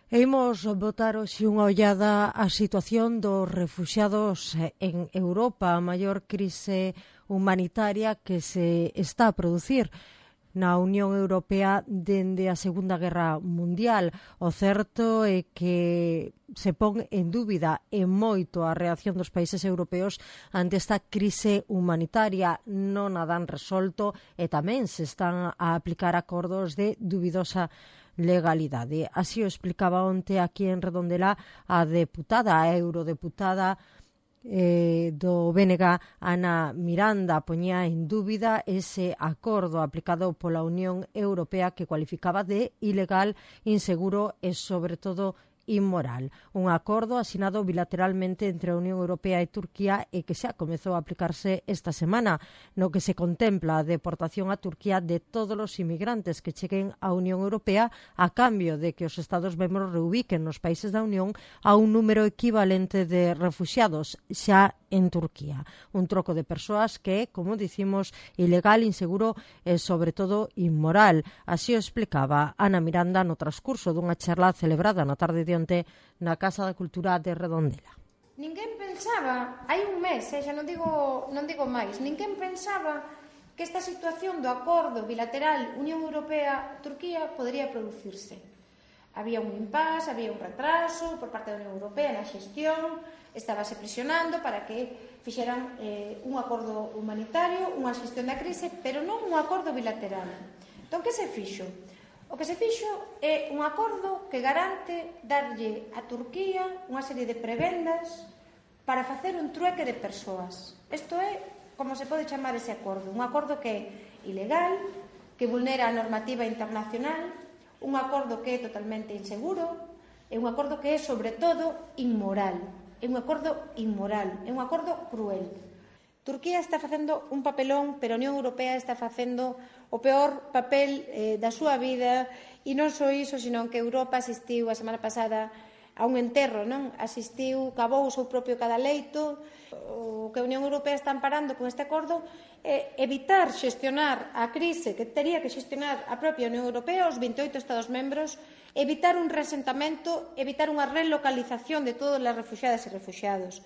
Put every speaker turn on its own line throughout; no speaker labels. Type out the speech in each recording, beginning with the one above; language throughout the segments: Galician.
Imos botar hoxe unha ollada á situación dos refuxiados en Europa, a maior crise humanitaria que se está a producir na Unión Europea dende a Segunda Guerra Mundial. O certo é que se pon en dúbida e moito a reacción dos países europeos ante esta crise humanitaria. Non a dan resolto e tamén se están a aplicar acordos de dubidosa legalidade. Así o explicaba onte aquí en Redondela a eurodeputada do BNG, Ana Miranda, poñía en dúbida ese acordo aplicado pola Unión Europea que cualificaba de ilegal, inseguro e, sobre todo, inmoral. Un acordo asinado bilateralmente entre a Unión Europea e Turquía e que xa comezou a aplicarse esta semana, no que se contempla a deportación a Turquía de todos os inmigrantes que cheguen á Unión Europea a cambio de que os Estados membros reubiquen nos países da Unión a un número equivalente de refuxiados xa en Turquía. Un troco de persoas que é, como dicimos, ilegal, inseguro e, sobre todo, inmoral. Así o explicaba Ana Miranda no transcurso dunha charla celebrada na tarde de onte na Casa da Cultura de Redondela.
Ninguén pensaba, hai un mes, xa non digo máis, ninguén pensaba que esta situación do acordo bilateral Unión Europea-Turquía podría producirse. Había un impasse, había un retraso por parte da Unión Europea na xestión, estábase presionando para que fixeran un acordo humanitario, unha xestión da crise, pero non un acordo bilateral. Entón, que se fixo? O que se fixo é un acordo que garante darlle a Turquía unha serie de prebendas para facer un trueque de persoas. Isto é como se pode chamar ese acordo. Un acordo que é ilegal, que vulnera a normativa internacional, un acordo que é totalmente inseguro, é un acordo que é, sobre todo, inmoral. É un acordo inmoral, é un acordo cruel. Turquía está facendo un papelón, pero a Unión Europea está facendo o peor papel da súa vida, e non só iso, senón que Europa asistiu a semana pasada a un enterro, non? Cavou o seu propio cadaleito. O que a Unión Europea está amparando con este acordo é evitar xestionar a crise que tería que xestionar a propia Unión Europea, os 28 Estados membros, evitar un reasentamento, evitar unha relocalización de todas as refuxiadas e refuxiados.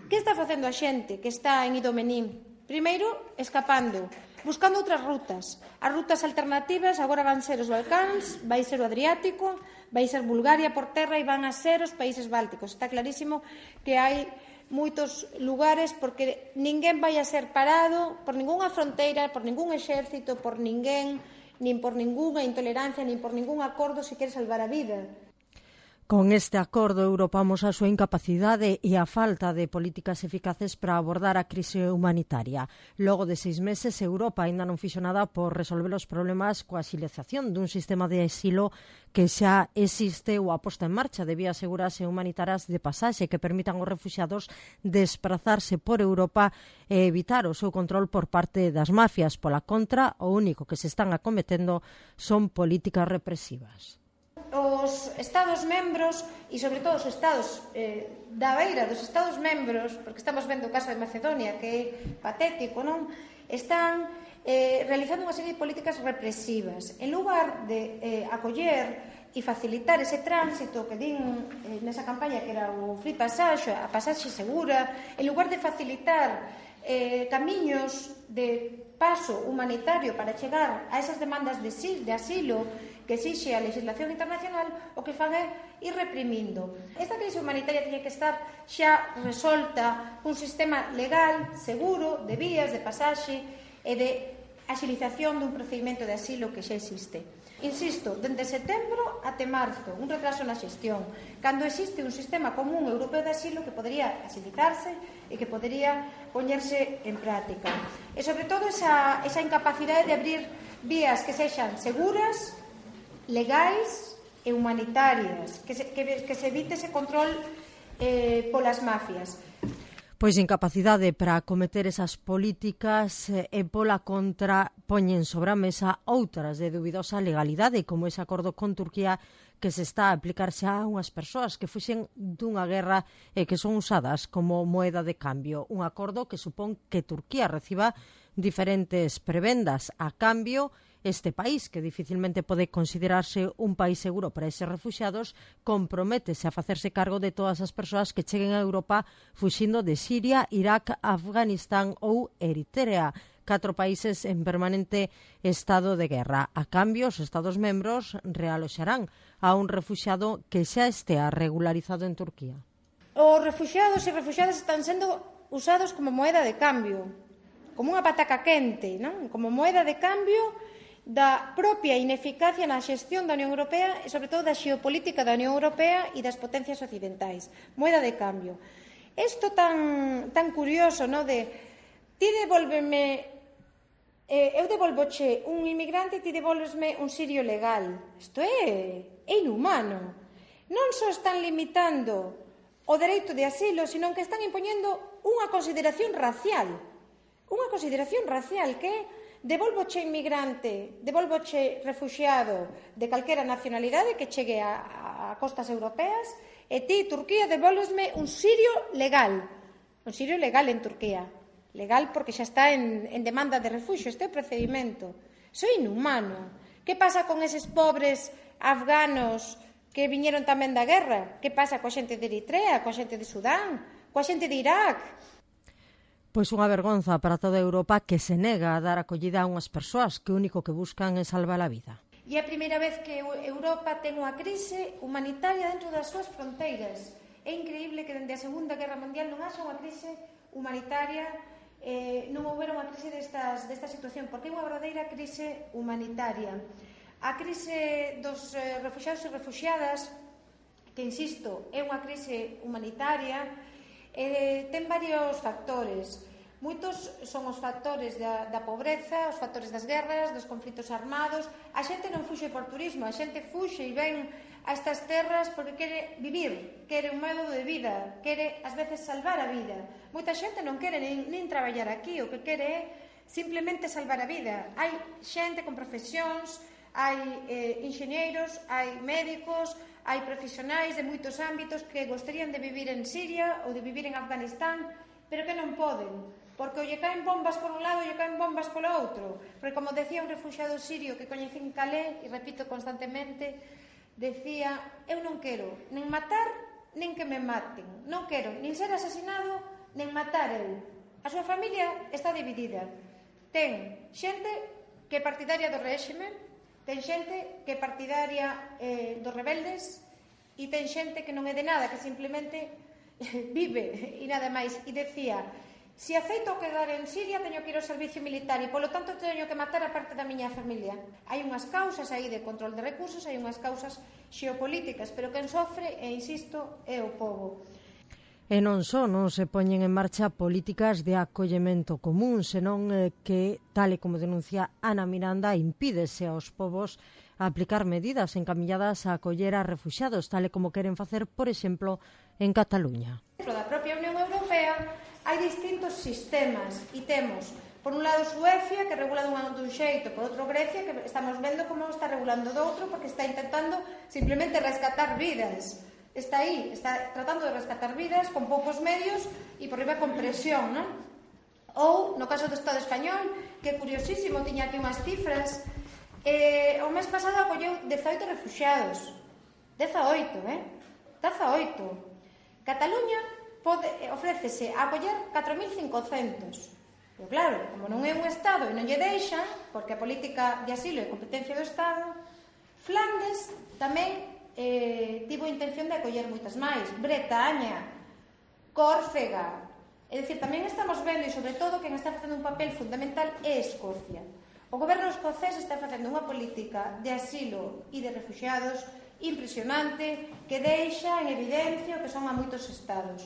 Que está facendo a xente que está en Idomeneo? Primeiro, escapando, buscando outras rutas. As rutas alternativas agora van ser os Balcáns, vai ser o Adriático, vai ser Bulgaria por terra e van a ser os países bálticos. Está clarísimo que hai moitos lugares porque ninguén vai a ser parado por ningunha fronteira, por ningún exército, por ninguén, nin por ningunha intolerancia, nin por ningún acordo se quere salvar a vida.
Con este acordo, Europa amosa a súa incapacidade e a falta de políticas eficaces para abordar a crise humanitaria. Logo de 6 meses, Europa aínda non fixo nada por resolver os problemas coa axilización dun sistema de asilo que xa existe ou a posta en marcha de vías seguras e humanitarias de pasaxe que permitan aos refuxiados desplazarse por Europa e evitar o seu control por parte das mafias. Pola contra, o único que se están acometendo son políticas represivas.
Os Estados membros e, sobre todo, os Estados da beira dos Estados membros, porque estamos vendo o caso de Macedonia, que é patético, non? Están realizando unha serie de políticas represivas. En lugar de acoller e facilitar ese tránsito que din nesa campaña que era o free passage, a pasaxe segura, en lugar de facilitar camiños de paso humanitario para chegar a esas demandas de asilo que exixe a legislación internacional, o que fan é ir reprimindo. Esta crise humanitaria tiña que estar xa resolta cun sistema legal, seguro, de vías, de pasaxe e de axilización dun procedimento de asilo que xa existe. Insisto, dende setembro até marzo, un retraso na xestión, cando existe un sistema común europeo de asilo que podería axilizarse e que podería poñerse en práctica. E, sobre todo, esa incapacidade de abrir vías que sexan seguras, legais e humanitarias, que se evite ese control polas mafias.
Pois incapacidade para acometer esas políticas e pola contra poñen sobre a mesa outras de dubidosa legalidade, como ese acordo con Turquía que se está a aplicar xa a unhas persoas que fuxen dunha guerra e que son usadas como moeda de cambio. Un acordo que supón que Turquía reciba diferentes prebendas a cambio este país, que dificilmente pode considerarse un país seguro para eses refuxiados, comprométese a facerse cargo de todas as persoas que cheguen a Europa fuxindo de Siria, Irak, Afganistán ou Eritrea, 4 países en permanente estado de guerra. A cambio, os Estados membros realoxarán a un refuxiado que xa estea regularizado en Turquía.
Os refuxiados e refuxiadas están sendo usados como moeda de cambio, como unha pataca quente, non? Como moeda de cambio da propia ineficacia na xestión da Unión Europea e, sobre todo, da xeopolítica da Unión Europea e das potencias occidentais. Moeda de cambio. Isto tan curioso, non? De ti devolveme, eu devolvoche un inmigrante e ti devolvesme un sirio legal. Isto é inhumano. Non só están limitando o dereito de asilo, sino que están impoñendo unha consideración racial. Unha consideración racial que é devolvoche inmigrante, devolvoche refuxiado de calquera nacionalidade que chegue a costas europeas e ti, Turquía, devolvesme un sirio legal en Turquía. Legal porque xa está en demanda de refuxio, este é o procedimento. Iso é inhumano. Que pasa con eses pobres afganos que viñeron tamén da guerra? Que pasa coa xente de Eritrea, coa xente de Sudán, coa xente de Irak?
Pois unha vergonza para toda Europa que se nega a dar acollida a unhas persoas que o único que buscan é salvar a vida.
E é a primeira vez que Europa ten unha crise humanitaria dentro das súas fronteiras. É increíble que dende a Segunda Guerra Mundial non haxa unha crise humanitaria, non houbera unha crise desta situación, porque é unha verdadeira crise humanitaria. A crise dos refuxiados e refuxiadas, que, insisto, é unha crise humanitaria, ten varios factores. Moitos son os factores da pobreza, os factores das guerras, dos conflitos armados. A xente non fuxe por turismo, a xente fuxe e ven a estas terras porque quere vivir, quere un modo de vida, quere ás veces salvar a vida. Moita xente non quere nin traballar aquí, o que quere é simplemente salvar a vida. Hai xente con profesións, hai enxeñeiros, hai médicos, hai profesionais de moitos ámbitos que gostarían de vivir en Siria ou de vivir en Afganistán, pero que non poden, porque ou lle caen bombas por un lado ou lle caen bombas polo outro. Porque, como decía un refuxiado sirio que coñecín Calais, e repito constantemente, decía: eu non quero nin matar nin que me maten, non quero nin ser asesinado nin matar eu. A súa familia está dividida. Ten xente que é partidaria do réxime, ten xente que é partidaria dos rebeldes, e ten xente que non é de nada, que simplemente vive e nada máis. E decía: se aceito quedar en Siria, teño que ir ao servicio militar e, polo tanto, teño que matar a parte da miña familia. Hai unhas causas aí de control de recursos, hai unhas causas xeopolíticas, pero quen sofre, e insisto, é o povo.
E non só non se poñen en marcha políticas de acollemento común, senón que, tal e como denuncia Ana Miranda, impídese aos povos a aplicar medidas encamilladas a acoller a refuxiados, tal e como queren facer, por exemplo, en Cataluña.
Dentro da propia Unión Europea hai distintos sistemas e temos, por un lado, Suecia, que regula dun xeito, por outro Grecia, que estamos vendo como está regulando do outro, porque está intentando simplemente rescatar vidas. Está aí, está tratando de rescatar vidas con poucos medios e por riba con presión, non? Ou, no caso do Estado español, que curiosísimo, tiña aquí unhas cifras, o mes pasado acolleu 18 refuxiados. 18. Cataluña ofrécese a acoller 4.500. Pero claro, como non é un Estado e non lle deixan, porque a política de asilo é competencia do Estado, Flandes tamén tivo intención de acoller moitas máis. Bretaña, Córcega. É dicir, tamén estamos vendo, e sobre todo, quen está facendo un papel fundamental é Escocia. O goberno escocés está facendo unha política de asilo e de refuxiados impresionante, que deixa en evidencia o que son a moitos estados.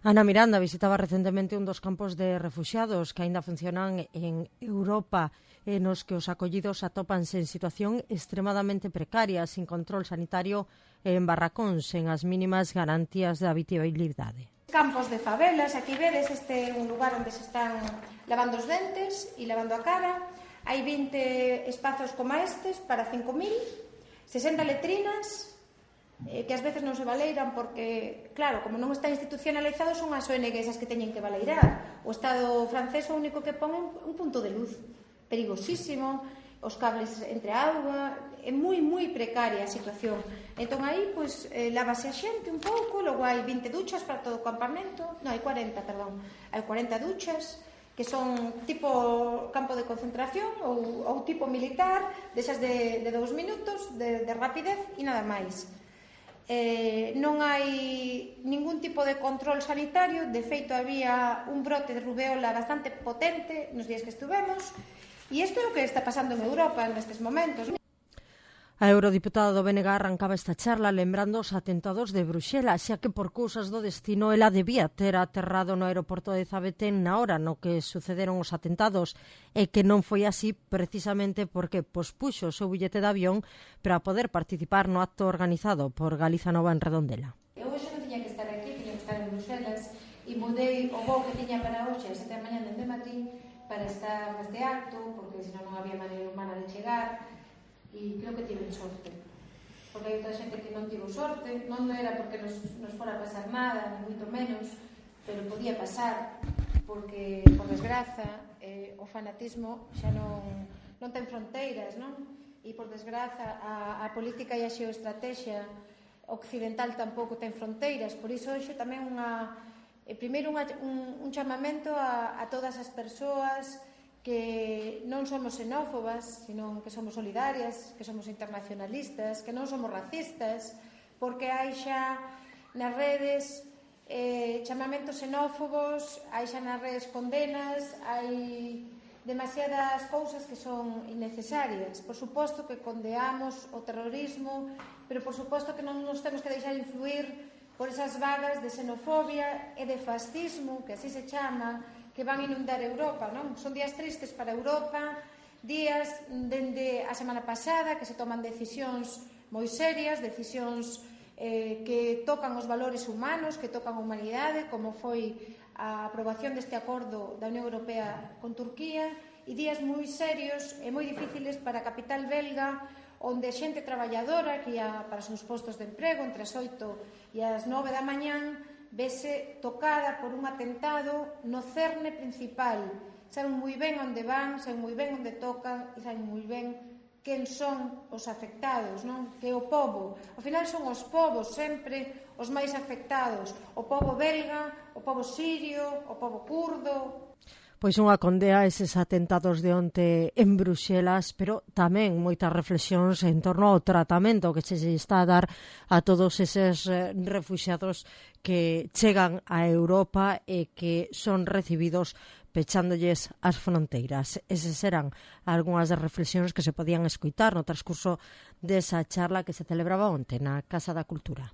Ana Miranda visitaba recentemente un dos campos de refuxiados que aínda funcionan en Europa, nos que os acollidos atópanse en situación extremadamente precaria, sin control sanitario e en barracóns, en as mínimas garantías de habitabilidade.
Campos de favelas, aquí vedes, este é un lugar onde se están lavando os dentes e lavando a cara. Hai 20 espazos como estes para 5.000, 60 letrinas, que ás veces non se baleiran porque, claro, como non está institucionalizado, son as ONGs as que teñen que baleirar. O Estado francés o único que pon un punto de luz perigosísimo. os cables entre a auga, é moi precaria a situación. Entón aí, pois, lávase a xente un pouco, logo hai 20 duchas para todo o campamento, non, hai 40, perdón, hai 40 duchas, que son tipo campo de concentración ou tipo militar, desas de 2 minutos, de rapidez e nada máis. Non hai ningún tipo de control sanitario, de feito había un brote de rubeola bastante potente nos días que estuvemos, e isto é o que está pasando en Europa nestes momentos.
A eurodiputada do BNG arrancaba esta charla lembrando os atentados de Bruxelas, xa que por cousas do destino ela debía ter aterrado no aeroporto de Zaventem na hora no que sucederon os atentados, e que non foi así precisamente porque pospuxo o seu billete de avión para poder participar no acto organizado por Galiza Nova en Redondela.
Eu hoxe non tiña que estar aquí, tiña que estar en Bruxelas, e mudei o voo que tiña para hoxe a 7 da mañá dende Madrid para estar neste acto, porque senón non había maneira humana de chegar, e creo que tive sorte, porque hai outra xente que non tivo sorte, non era porque nos fora a pasar nada, ni moito menos, pero podía pasar, porque, por desgraza, o fanatismo xa non ten fronteiras, non? E, por desgraza, a política e a xeoestrategia occidental tampouco ten fronteiras, por iso hoxe tamén primeiro un chamamento a todas as persoas que non somos xenófobas, sino que somos solidarias, que somos internacionalistas, que non somos racistas, porque hai xa nas redes chamamentos xenófobos, hai xa nas redes condenas, hai demasiadas cousas que son innecesarias. Por suposto que condeamos o terrorismo, pero por suposto que non nos temos que deixar influir por esas vagas de xenofobia e de fascismo, que así se chama, que van inundar Europa, non? Son días tristes para Europa, días dende a semana pasada que se toman decisións moi serias, decisións que tocan os valores humanos, que tocan a humanidade, como foi a aprobación deste acordo da Unión Europea con Turquía, e días moi serios e moi difíciles para a capital belga, onde a xente traballadora que ia para os seus postos de emprego entre as 8 e as 9 da mañán vese tocada por un atentado no cerne principal. Saben moi ben onde van, saben moi ben onde tocan e saben moi ben quen son os afectados, non? Que é o pobo. Ao final son os povos sempre os máis afectados. O pobo belga, o pobo sirio, o pobo kurdo.
Pois unha condea a eses atentados de onte en Bruxelas, pero tamén moitas reflexións en torno ao tratamento que se está a dar a todos eses refuxiados que chegan a Europa e que son recibidos pechándolles as fronteiras. Esas eran algunhas das reflexións que se podían escoitar no transcurso desa charla que se celebraba onte na Casa da Cultura.